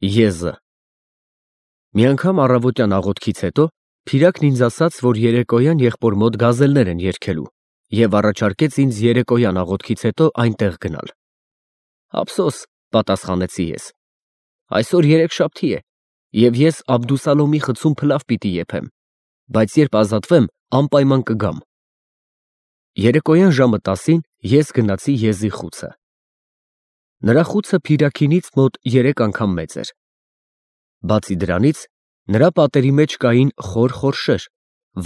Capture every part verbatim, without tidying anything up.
Եզը Մի անգամ առավոտյան աղոթքից հետո Փիրակն ինձ ասաց, որ երեկոյան եղբոր մոտ գազելներ են երգելու և առաջարկեց ինձ երեկոյան աղոթքից հետո այնտեղ գնալ։ Ափսոս, պատասխանեցի ես, այսօր երեքշաբթի է, և ես Աբդուսալոմի խցում փլավ պիտի եփեմ, բայց երբ ազատվեմ, անպայման կգամ։ Երեկոյան ժամը տասին ես գնացի եզի խուցը։ Նրա խուցը Փիրաքինից մոտ երեք անգամ մեծ էր։ Բացի դրանից, նրա պատերի մեջ կային խոր խորշեր,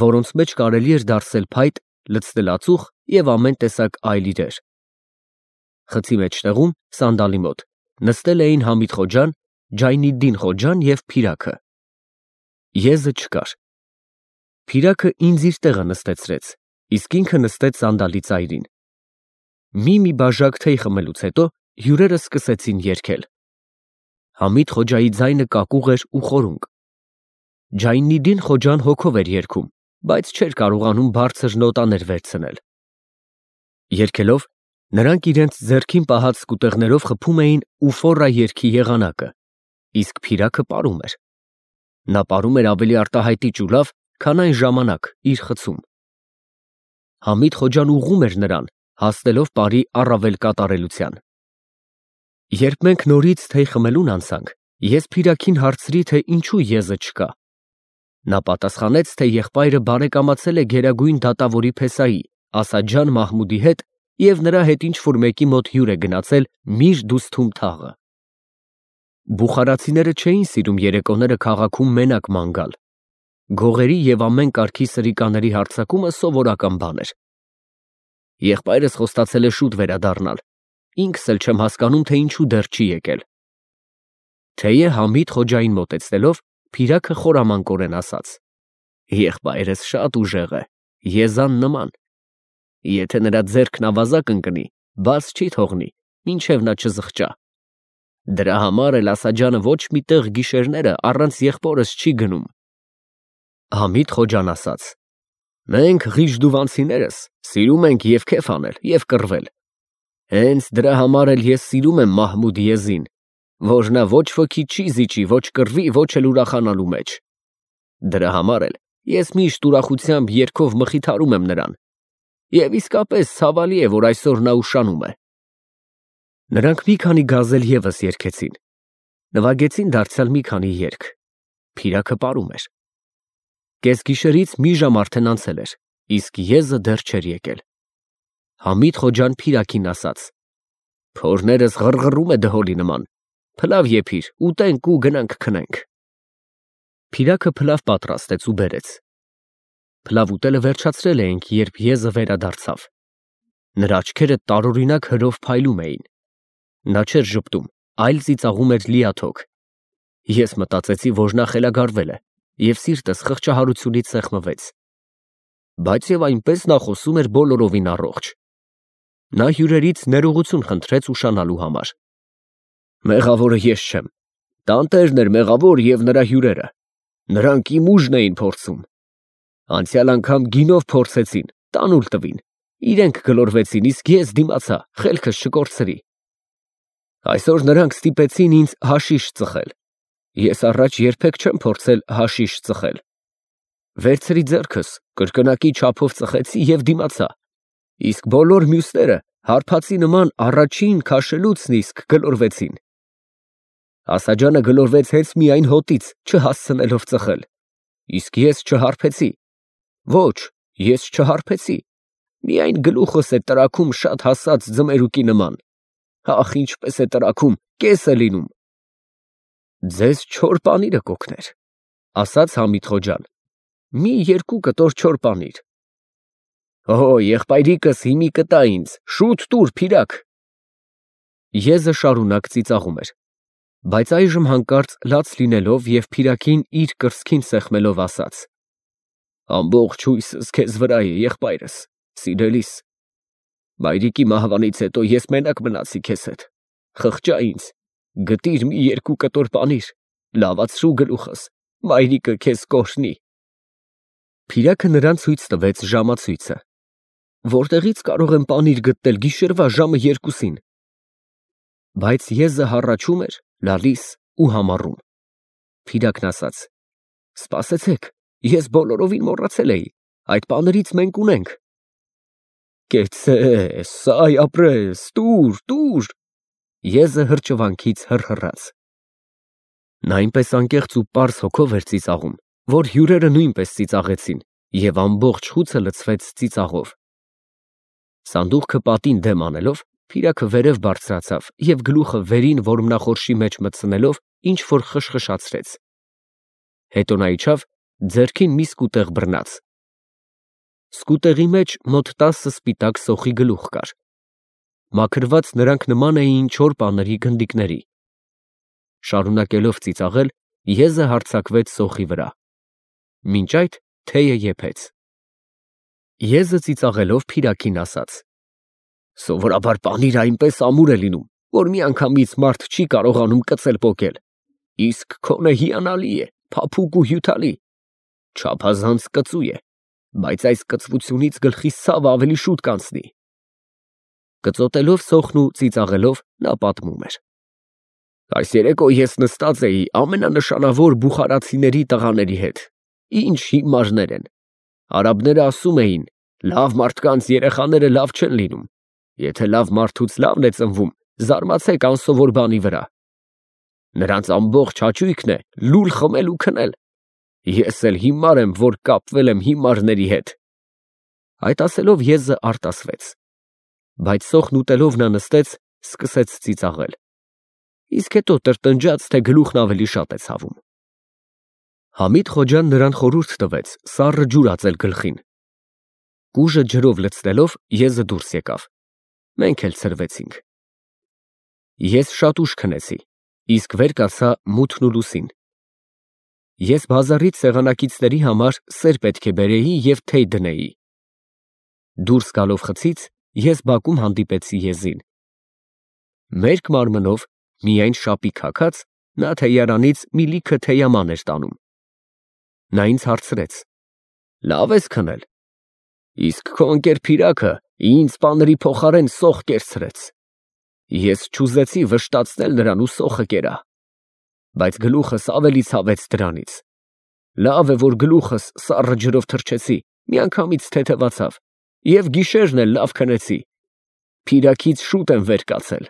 որոնց մեջ կարելի էր դարսել փայտ, լցնել ածուխ և ամեն տեսակ այլ իրեր։ Խցի մեջտեղում, սանդալի մոտ, նստել էին Համիդ խոջան, Ջայնիդդին խոջան և Փիրակը։ Եզը չկար։ Փիրակը ինձ իր տեղը նստեցրեց, իսկ ինքը նստեց սանդալի ծայրին։ Մի-մի բաժակ թեյ խմելուց հետո հյուրերը սկսեցին երգել։ Համիդ խոջայի ձայնը կակուղ էր ու խորունկ։ Ջայնիդդին խոջան հոգով էր երգում, բայց չէր կարողանում բարձր նոտաներ վերցնել։ Երգելով, նրանք իրենց ձեռքին պահած սկուտեղներով խփում էին «Ուֆոռա» երգի եղանակը, իսկ Փիրակը պարում էր։ Նա պարում էր ավելի արտահայտիչ ու լավ, քան այն ժամանակ իր խցում։ Համիդ խոջան ուղղում էր նրան, հասնելով պարի առավել կատարելության։ Երբ մենք նորից թեյ խմելուն անցանք, ես Փիրաքին հարցրի, թե ինչու եզը չկա։ Նա պատասխանեց, թե եղբայրը բարեկամացել է գերագույն դատավորի փեսայի Ասադ Ջան Մահմուդի հետ և նրա հետ ինչ֊որ մեկի մոտ հյուր է գնացել Միր Դուսթում թաղը։ Բուխարացիները չէին սիրում երեկոները քաղաքում մենակ ման գալ։ Գողերի և ամեն կարգի սրիկաների հարձակումը սովորական բան էր։ Եղբայրս խոստացել է շուտ վերադառնալ, ինքս էլ չեմ հասկանում, թե ինչու դեռ չի եկել։ Թեյը Համիդ խոջային մոտեցնելով, Փիրակը խորամանկորեն ասաց. Եղբայրս շատ ուժեղ է, եզան նման։ Եթե նրա ձեռքն ավազակ ընկնի, բաց չի թողնի, մինչև նա չզղջա։ Դրա համար էլ Ասադ ջանը ոչ մի տեղ գիշերները առանց եղբորս չի գնում։ Համիդ խոջան ասաց. Մենք Ղիժդուվանցիներս սիրում ենք և քեֆ անել, և կռվել։ Հենց դրա համար էլ ես սիրում եմ Մահմուդ եզին, որ նա ոչ ոքի չի զիջի ոչ կռվի, ոչ էլ ուրախանալու մեջ։ Դրա համար էլ ես միշտ ուրախությամբ երգով մխիթարում եմ նրան։ Եվ իսկապես ցավալի է, որ այսօր նա ուշանում է։ Նրանք մի քանի գազել ևս երգեցին։ Նվագեցին դարձյալ մի քանի երգ։ Փիրակը պարում էր։ Կեսգիշերից մի ժամ արդեն անցել էր, իսկ եզը դեռ չէր եկել։ Համիդ խոջան Փիրաքին ասաց. Փորներս ղռղռում է դհոլի նման, փլավ եփիր, ուտենք ու գնանք քնենք։ Փիրակը փլավ պատրաստեց ու բերեց։ Փլավ ուտելը վերջացրել էինք, երբ եզը վերադարձավ։ Նրա աչքերը տարօրինակ հրով փայլում էին։ Նա չէր ժպտում, այլ ծիծաղում էր լիաթոք։ Ես մտածեցի, որ նա խելագարվել է, և սիրտս խղճահարությունից սեղմվեց։ Բայց և այնպես նա խոսում էր բոլորովին առողջ։ Նա հյուրերից ներողություն խնդրեց ուշանալու համար։ Մեղավորը ես չեմ, տանտերն էր մեղավոր և նրա հյուրերը։ Նրանք իմ ուժն էին փորձում։ Անցյալ անգամ գինով փորձեցին, տանուլ տվին, իրենք գլորվեցին, իսկ ես դիմացա, խելքս չկորցրի։ Այսօր նրանք ստիպեցին ինձ հաշիշ ծխել։ Ես առաջ երբեք չեմ փորձել հաշիշ ծխել։ Վերցրի ձեռքս, կրկնակի չափով ծխեցի և դիմացա, իսկ բոլոր մյուսները հարբածի նման առաջին քաշելուցն իսկ գլորվեցին։ Ասադ ջանը գլորվեց հենց միայն հոտից, չհասցնելով ծխել, իսկ ես չհարբեցի։ Ոչ, ես չհարբեցի, միայն գլուխս է տրաքում շատ հասած ձմերուկի նման։ Ախ, ինչպես է տրաքում, կես է լինում։ Ձեզ չոր պանիրը կօգներ, ասաց Համիդ խոջան, մի երկու կտոր չոր պանիր։ Օ, եղբայրիկս հիմի կտա ինձ, շուտ տուր, Փիրակ։ Եզը շարունակ ծիծաղում էր, բայց այժմ հանկարծ լաց լինելով և Փիրաքին իր կրծքին սեղմելով ասաց. Ամբողջ հույսս քեզ վրա է, եղբայրս, սիրելիս։ Մայրիկի մահվանից հետո ես մենակ մնացի քեզ հետ, խղճա ինձ, գտիր մի երկու կտոր պանիր, լավացրու գլուխս, մայրիկը քեզ կօրհնի։ Փիրակը նրան ցույց տվեց ժամացույցը։ Որտեղից կարող եմ պանիր գտնել գիշերվա ժամը երկուսին։ Բայց եզը հառաչում էր, լալիս ու համառում։ Փիրակն ասաց. Սպասեցեք, ես բոլորովին մոռացել էի, այդ պաներից մենք ունենք։ Կեցցես, սայ ապրես, տուր, տուր։ Եզը հրճվանքից հռհռաց։ Նա այնպես անկեղծ ու պարզ հոգով էր ծիծաղում, որ հյուրերը նույնպես ծիծաղեցին, և ամբողջ խուցը լցվեց ծիծաղով։ Սանդուղքը պատին դեմ անելով, Փիրակը վերև բարձրացավ և գլուխը վերին որմնախորշի մեջ մտցնելով ինչ-որ խշխշացրեց։ Հետո նա իջավ, ձեռքին մի սկուտեղ բռնաց։ Սկուտեղի մեջ մոտ տասը սպիտակ սոխի գլուխ կար։ Մաքրված նրանք նման էին չոր պաների գնդիկների։ Շարունակելով ծիծաղել, եզը հարձակվեց սոխի վրա։ Մինչ այդ թեյը եփեց։ Եզը ծիծաղելով Փիրակին ասաց. Սովորաբար պանիրը այնպես ամուր է լինում, որ միանգամից մարդ չի կարողանում կծել պոկել, իսկ քոնը հիանալի է, փափուկ ու հյութալի, չափազանց կծու է, բայց այս կծվությունից գլխիս ցավը ավելի շուտ կանցնի։ Կծոտելով սոխն ու ծիծաղելով նա պատմում էր. Այս երեկո ես նստած էի ամենանշանավոր բուխարացիների տղաների հետ, ինչ հիմարներ են, արաբները ասում էին, լավ մարդկանց երեխաները լավ չեն լինում, եթե լավ մարդուց լավն է ծնվում, զարմացեք անսովոր բանի վրա։ Նրանց ամբողջ հաճույքն է լուլ խմել ու քնել, ես էլ հիմար եմ, որ կապվել եմ հիմարների հետ։ Այդ ասելով եզը արտասվեց, բայց սոխն ուտելով նա նստեց, սկսեց ծիծաղել, իսկ հետո տրտնջաց, թե գլուխն ավելի շատ է ցավում։ Համիդ Խոջան նրան խորհուրդ տվեց սառը ջուր ածել գլխին։ Կուժը ջրով լցնելով եզը դուրս եկավ։ Մենք էլ ցրվեցինք։ Ես շատ ուշ քնեցի, իսկ վեր կացա մութն ու լուսին։ Ես բազարից սեղանակիցների համար սեր պետք է բերեի և թեյ դնեի։ Դուրս գալով խցից, ես բակում հանդիպեցի եզին։ Մերկ մարմնով, միայն շապիկ հագած, նա թեյարանից մի լիքը թեյաման էր տանում։ Նա ինձ հարցրեց. Լավ ես քնել։ Իսկ քո ընկեր Փիրակը ինձ պաների փոխարեն սոխ կերցրեց։ Ես չուզեցի վշտացնել նրան ու սոխը կերա, բայց գլուխս ավելի ցավեց դրանից։ Լավ է, որ գլուխս սառը ջրով թրջեցի, միանգամից թեթևացավ, և գիշերն էլ լավ քնեցի։ Փիրակից շուտ եմ վեր կացել։